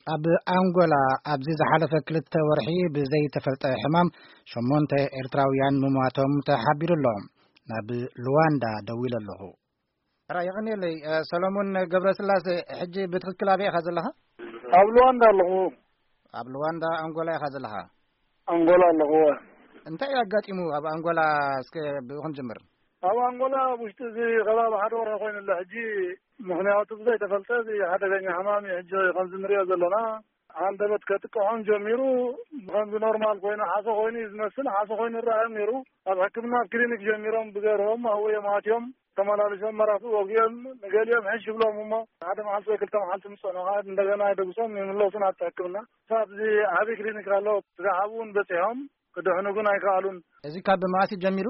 ኣብ ኣንጎላ ኣብዚ ዝሓለፈ ክልተ ወርሒ ብዘይተፈልጠ ሕማም ሸሞንተ ኤርትራውያን ምሟቶም ተሓቢሩ ኣሎ። ናብ ሉዋንዳ ደዊለ ኣለኹ። ራ የቐንየለይ፣ እ፣ ሰሎሞን ገብረስላሴ፣ ሕጂ ብትኽክል ኣበይ ኢኻ ዘለኻ? ኣብ ሉዋንዳ ኣለኹ። ኣብ ሉዋንዳ ኣንጎላ ኢኻ ዘለኻ? ኣንጎላ ኣለኹ። እንታይ እዩ ኣጋጢሙ ኣብ ኣንጎላ? እስከ ብኡ ክንጅምር። ኣብ ኣንጎላ ኣብ ውሽጢ እዚ ከባቢ ሓደ ወርሒ ኮይኑ ኣሎ ሕጂ። ምኽንያቱ ብዘይተፈልጠ እዚ ሓደገኛ ሕማም እዩ ሕጂ ከምዚ ንሪኦ ዘለና። ሃንደበት ከጥቅዖም ጀሚሩ። ከምዚ ኖርማል ኮይኑ ሓሶ ኮይኑ እዩ ዝመስል። ሓሶ ኮይኑ ይረኣዮም ነይሩ። ኣብ ሕክምና ኣብ ክሊኒክ ጀሚሮም ብገርሆም ኣብኡ እዮም ኣትዮም። ተመላሊሶም መራፍእ ወጊኦም ንገሊኦም ሕሽ ይብሎም እሞ ሓደ መዓልቲ ወይ ክልተ መዓልቲ ምስ ጸንሑ ከዓ እንደገና የደግሶም ይምለሱ ናብቲ ሕክምና። ኣብዚ ዓብዪ ክሊኒክ ኣሎ። ስጋዕ ኣብኡ እውን በጺሖም ክድሕኑ ግን ኣይከኣሉን። እዚ ካብ መዓስ እዩ ጀሚሩ?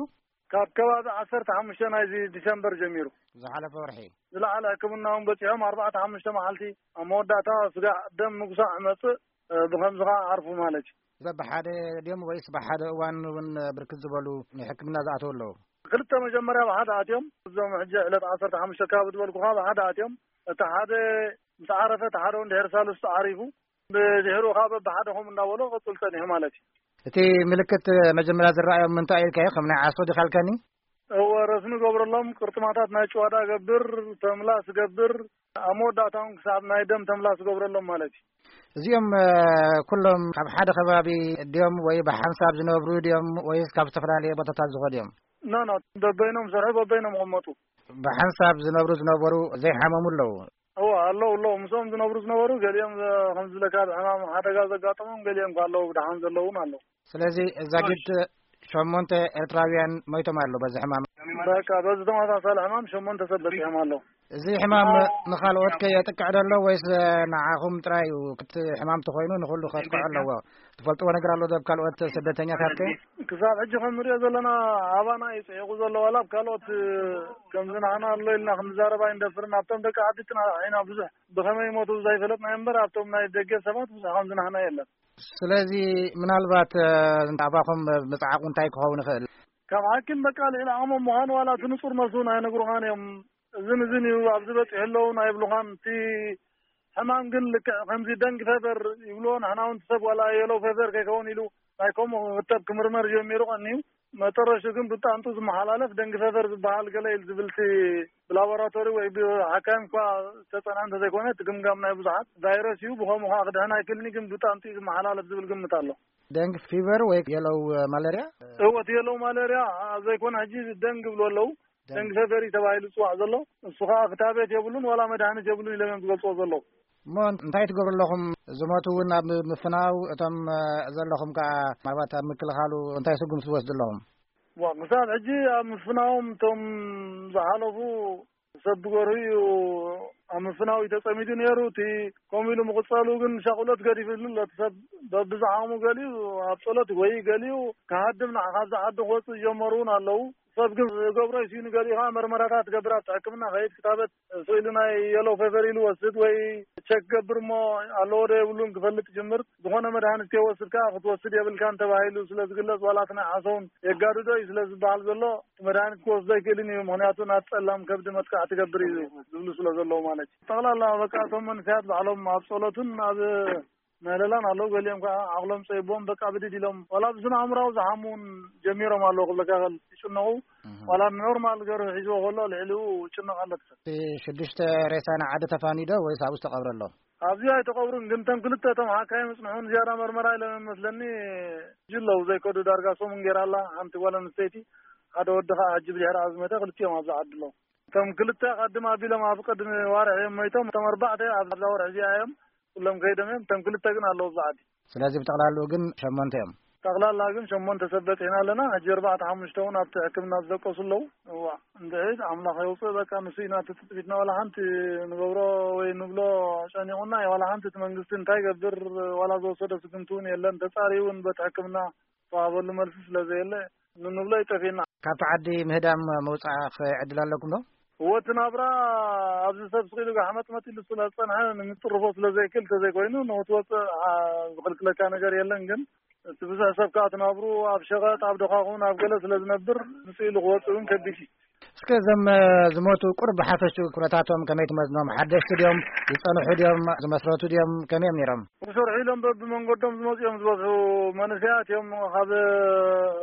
ካብ ከባቢ ዓሰርተ ሓሙሽተ ናይዚ ዲሰምበር ጀሚሩ። ዝሓለፈ ወርሒ። ዝለዓለ ሕክምና እውን በጺሖም ኣርባዕተ ሓሙሽተ መዓልቲ ኣብ መወዳእታ ስጋዕ ደም ምጉሳዕ መጽእ፣ እ፣ ብኸምዚ ከዓ ዓርፉ ማለት እዩ። በብሓደ ድዮም ወይስ ብሓደ እዋን እውን ብርክት ዝበሉ ናይ ሕክምና ዝኣተው ኣለዉ? ክልተ መጀመርያ ብሓደ ኣትዮም፣ እዞም ሕጂ ዕለት ዓሰርተ ሓሙሽተ ከባቢ ዝበልኩኻ ብሓደ ኣትዮም። እቲ ሓደ ምስ ዓረፈ፣ እቲ ሓደ እውን ድሕሪ ሳልስቲ ዓሪፉ። ብድሕሩ ከዓ በብሓደ ከምኡ እንዳበሎ ክቕጽል ጸኒሑ ማለት እዩ። እቲ ምልክት መጀመርያ ዝረኣዮም ምንታይ ኢልካዮ? ከም ናይ ዓሶ ዲኻ ኢልካኒ? እወ፣ ረስኒ ገብረሎም፣ ቅርጥማታት ናይ ጭዋዳ ገብር፣ ተምላስ ገብር፣ ኣብ መወዳእታ እውን ክሳብ ናይ ደም ተምላስ ገብረሎም ማለት እዩ። እዚኦም፣ እ፣ ኩሎም ካብ ሓደ ከባቢ ድዮም ወይ ብሓንሳብ ዝነብሩ ድዮም ወይስ ካብ ዝተፈላለየ ቦታታት ዝኸዱ እዮም? ኖ፣ ኖ፣ በበይኖም ሰርሑ፣ በበይኖም ይቕመጡ። ብሓንሳብ ዝነብሩ ዝነበሩ ዘይሓመሙ ኣለዉ? እወ፣ ኣለዉ፣ ኣለዉ። ምስኦም ዝነብሩ ዝነበሩ፣ ገሊኦም፣ እ፣ ከም ዝብለካ ብሕማም ሓደጋ ዘጋጠሞም፣ ገሊኦም ከ ኣለዉ፣ ብደሓን ዘለዉ እውን ኣለዉ። ስለዚ እዛ ማሽ። ጊድ ሸሞንተ ኤርትራውያን ሞይቶም ኣለዉ በዚ ሕማም። በቃ፣ በዚ ተመሳሳሊ ሕማም ሸሞንተ ሰብ በጺሖም ኣለዉ። እዚ ሕማም ኣዎ። ንኻልኦት ከ የጥቅዕ ዶ ኣሎ ወይስ ንዓኹም ጥራይ እዩ? ክቲ ሕማም ተኾይኑ ንኹሉ ከጥቅዖ ኣለዎ። ትፈልጥዎ ነገር ኣሎ ዶ ኣብ ካልኦት ስደተኛታት ከ? ክሳብ ሕጂ ከም ንሪኦ ዘለና ኣባና እዩ ጽሒቑ ዘሎ። ዋላ ኣብ ካልኦት ከምዚ ንዓና ኣሎ ኢልና ክንዛረብ ኣይንደፍርን። ኣብቶም ደቂ ዓዲ ጥና ኢና ብዙሕ ብኸመይ ይሞቱ ዘይፈለጥና እምበር፣ ኣብቶም ናይ ደገ ሰባት ብዙሕ ከምዚ ንዓና የለን። ስለዚ ምናልባት፣ እ፣ ኣባኹም ምጽዓቑ እንታይ ክኸውን ይኽእል? ካብ ሓኪም በቃ ልዕሊ ዓቕሞም ምዃኑ ዋላ እቲ ንጹር መልሱ እውን ኣይነግሩኻን እዮም። እዝን እዝን እዩ፣ ኣብዚ በጺሑ ኣለዉን ኣይብሉኻን። እቲ ሕማም ግን ልክዕ ከምዚ ደንግ ፈቨር ይብልዎ፣ ንሕና እውን እቲ ሰብ ዋላ የሎ ፈቨር ከይከውን ኢሉ ናይ ከምኡ ክኽተብ ክምርመር ጀሚሩ ቀንዩ። መጠረሹ ግን ብጣንጡ ዝመሓላለፍ ደንግ ፈቨር ዝበሃል ገለ ኢሉ ዝብልቲ ብላቦራቶሪ ወይ ብሓካይም እኳ ዝተጸንዐ እንተዘይኮነ፣ እቲ ግምጋም ናይ ብዙሓት ቫይረስ እዩ፣ ብኸምኡ ከዓ ክድሕን ኣይክእልን እዩ፣ ግን ብጣንጡ እዩ ዝመሓላለፍ ዝብል ግምት ኣሎ። ደንግ ፊቨር ወይ የሎው ማለርያ? እወ፣ እቲ የሎው ማለርያ ዘይኮነ ሕጂ ደንግ ይብሉ ኣለዉ። ደንግ። ደንግ ፈቨሪ ተባሂሉ ዝጽዋዕ ዘሎ፣ እሱ ኸኣ ክታበት የብሉን ዋላ መድሃኒት የብሉን ኢሎም እዮም ዝገልጽዎ ዘለዉ። እሞ እንታይ ትገብሩ ኣለኹም? ዝሞቱ እውን ኣብ ምፍናው፣ እቶም፣ እ፣ ዘለኹም ከኣ ምናልባት ኣብ ምክልኻሉ እንታይ ስጉምቲ ትወስዱ ኣለኹም? ዋ፣ ክሳብ ሕጂ ኣብ ምፍናዎም እቶም ዝሓለፉ ሰብ ብገርሁ እዩ ኣብ ምፍናው እዩ ተጸሚዱ ነይሩ። እቲ ከምኡ ኢሉ ምቕጻሉ ግን ሻቕሎት ገዲፍሉ ኣሎ። እቲ ሰብ በብዝዓሙ ገሊኡ ኣብ ጸሎት ወይ ገሊኡ ክሃድም ንዓ ካብዚ ዓዲ ክወጽእ ዝጀመሩ እውን ኣለዉ። ሰብ ግን ዝገብሮ ይስኢኑ፣ ገሊኡ ኸዓ መርመራታት ትገብር፣ ኣብቲ ሕክምና ኸይድ ክታበት ስኢሉ ናይ የሎ ፌቨር ኢሉ ወስድ ወይ ቸክ ገብር እሞ ኣለዎ ዶ የብሉን ክፈልጥ ጅምር። ዝኾነ መድሃኒት ከይወስድ ከኣ ክትወስድ የብልካን ተባሂሉ ስለ ዝግለጽ፣ ዋላ እቲ ናይ ዓሶ እውን የጋድዶ እዩ ስለ ዝበሃል ዘሎ፣ እቲ መድሃኒት ክወስዶ ኣይክእልን እዩ፣ ምኽንያቱ ናብ ጸላም ከብዲ መጥቃዕቲ ትገብር እዩ ዝብሉ ስለ ዘለዉ ማለት እዩ። ጠቕላላ በቃ እቶም መንእሰያት ባዕሎም ኣብ ጸሎትን ኣብ ምህለላን ኣለዉ። ገሊኦም ከኣ ዓቕሎም ጸይቦም በቃ ብድድ ኢሎም፣ ዋላ ብስነ ኣእምራዊ ዝሓሙ እውን ጀሚሮም ኣለዉ። ክብለካ ከል ይጭነቑ፣ እህ። ዋላ ኖርማል ገርሁ ሒዝዎ ከሎ ልዕሊኡ ይጭነቕ ኣሎ እቲ ሰብ። እቲ ሽዱሽተ ሬሳ ንዓዲ ተፋንዩ ዶ ወይስ ኣብኡ ዝተቐብረ ኣሎ? ኣብዚ ኣይተቐብሩን፣ ግን እቶም ክልተ እቶም ሓካይም ጽንሑ ንዝያዳ መርመራ ኢሎም እዮም መስለኒ። ሕጂ ኣለዉ ዘይከዱ፣ ዳርጋ ሰሙን ገይራ ኣላ ሓንቲ ጓል ኣንስተይቲ፣ ሓደ ወዲ ከኣ ሕጂ ብድሕሪኣ ዝመተ፣ ክልቲኦም ኣብዚ ዓዲ ኣለዉ። እቶም ክልተ ቀድም ኣቢሎም ኣብ ቅድሚ ዋርሕ እዮም ሞይቶም። እቶም ኣርባዕተ ኣብዛ ወርሒ እዚኣ እዮም ኩሎም ከይዶም እዮም። እቶም ክልተ ግን ኣለዉ ኣብዚ ዓዲ። ስለዚ ብጠቕላላኡ ግን ሸሞንተ እዮም። ጠቕላላ ግን ሸሞንተ ሰብ በጺሕና ኣለና። ሕጂ ኣርባዕተ ሓሙሽተ እውን ኣብቲ ሕክምና ዝደቀሱ ኣለዉ። እዋ፣ እንድዒ ኣምላኽ የውጽእ። በቃ ንሱ ኢና እቲ ትጽቢትና። ዋላ ሓንቲ ንገብሮ ወይ ንብሎ ጨኒቑና እዩ። ዋላ ሓንቲ እቲ መንግስቲ እንታይ ይገብር፣ ዋላ ዝወሰዶ ስጉምቲ እውን የለን። ተጻርዩ እውን በቲ ሕክምና ዝተዋህበሉ መልሲ ስለ ዘየለ፣ ንንብሎ ይጠፍእና። ካብቲ ዓዲ ምህዳም መውጻእ ዕድል ኣለኩም ዶ? እወ፣ እቲ ናብራ ኣብዚ ሰብ ስቕ ኢሉ ጋሕመጥመጥ ኢሉ ስለ ዝጸንሐ፣ ንምጥርፎ ስለ ዘይክእል፣ እንተዘይኮይኑ ንኽትወጽእ፣ ኣ፣ ዝኽልክለካ ነገር የለን። ግን እቲ ብዙሕ ሰብ ከኣ እቲ ናብሩ ኣብ ሸቐጥ፣ ኣብ ደኻኹን ኣብ ገለ ስለ ዝነብር፣ ምጽእ ኢሉ ክወጽእ እውን ከቢድ እዩ። እስከ እዞም ዝሞቱ ቁሩብ ብሓፈሽኡ ኩነታቶም ከመይ ትመዝኖም? ሓደሽቲ ድዮም? ዝጸንሑ ድዮም? ዝመስረቱ ድዮም? ከመይ እዮም ነይሮም? ክሰርሑ ኢሎም በብመንገዶም ዝመጹ እዮም ዝበዝሑ። መንእሰያት እዮም፣ ካብ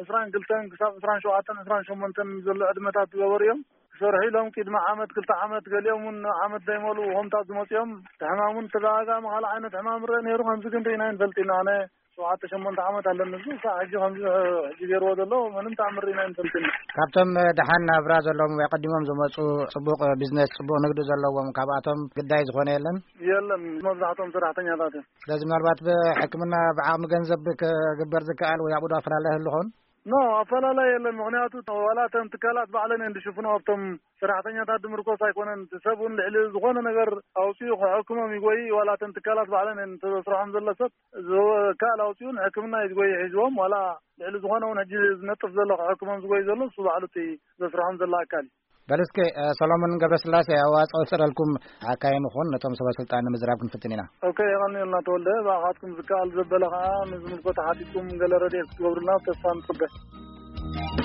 ዕስራን ክልተን ክሳብ ዕስራን ሸውዓተን ዕስራን ሸሞንተን ዘሎ ዕድመታት ዝገበሩ እዮም። ክሰርሑ ኢሎም ቅድሚ ዓመት ክልተ ዓመት፣ ገሊኦም እውን ዓመት ዘይመሉ ሆምታት ዝመጹ እዮም። እቲ ሕማም እውን ተደጋጋሚ ካልእ ዓይነት ሕማም ርአ ነይሩ፣ ከምዚ ግን ርኢና ኣይንፈልጥ ኢና። ኣነ ሸውዓተ ሸሞንተ ዓመት ኣለኒ፣ እዚ ሳዕ ሕጂ ከምዚ ሕጂ ገይርዎ ዘሎ ምንም ተኣምር ርኢና ኣይንፈልጥን። ካብቶም ደሓን ናብራ ዘለዎም ወይ ኣቐዲሞም ዝመጹ፣ ጽቡቕ ቢዝነስ፣ ጽቡቕ ንግዲ ዘለዎም፣ ካብኣቶም ግዳይ ዝኾነ የለን? የለን፣ መብዛሕትኦም ሰራሕተኛታት እዮም። ስለዚ ምናልባት ብሕክምና ብዓቕሚ ገንዘብ ክግበር ዝከኣል ወይ ኣብኡ ዶ ኣፈላለ ይህሉ ኸውን? ኖ፣ ኣፈላለይ የለን። ምኽንያቱ ዋላ እተን ትካላት ባዕለን እየን ዝሽፍኖ፣ ኣብቶም ሰራሕተኛታት ድምርኮስ ኣይኮነን። እቲ ሰብ እውን ልዕሊ ዝኾነ ነገር ኣውፂኡ ክሕክሞም ይጎይ። ዋላ እተን ትካላት ባዕለን እየን፣ እቲ ዘስርሖም ዘሎ ሰብ ዝከኣል ኣውፂኡ ንሕክምና እዩ ዝጎይ ሒዝዎም። ዋላ ልዕሊ ዝኾነ እውን ሕጂ ዝነጥፍ ዘሎ ክሕክሞም ዝጎይ ዘሎ እሱ ባዕሉ እቲ ዘስርሖም ዘሎ ኣካል እዩ። በል እስከ፣ እ፣ ሰሎሞን ገብረስላሴ፣ ኣዋፅኦ ዝፈጠረልኩም ሓካይ ንኹን፣ ነቶም ሰበ ስልጣን ንምዝራብ ክንፍትን ኢና። ኦኬ፣ የቐንየልና ተወልደ። ብኣኻትኩም ዝከኣል ዘበለ ከዓ ንዝምልከቶ ሓቲትኩም ገለ ረድኤት ክትገብሩልና ተስፋ ንፅበ።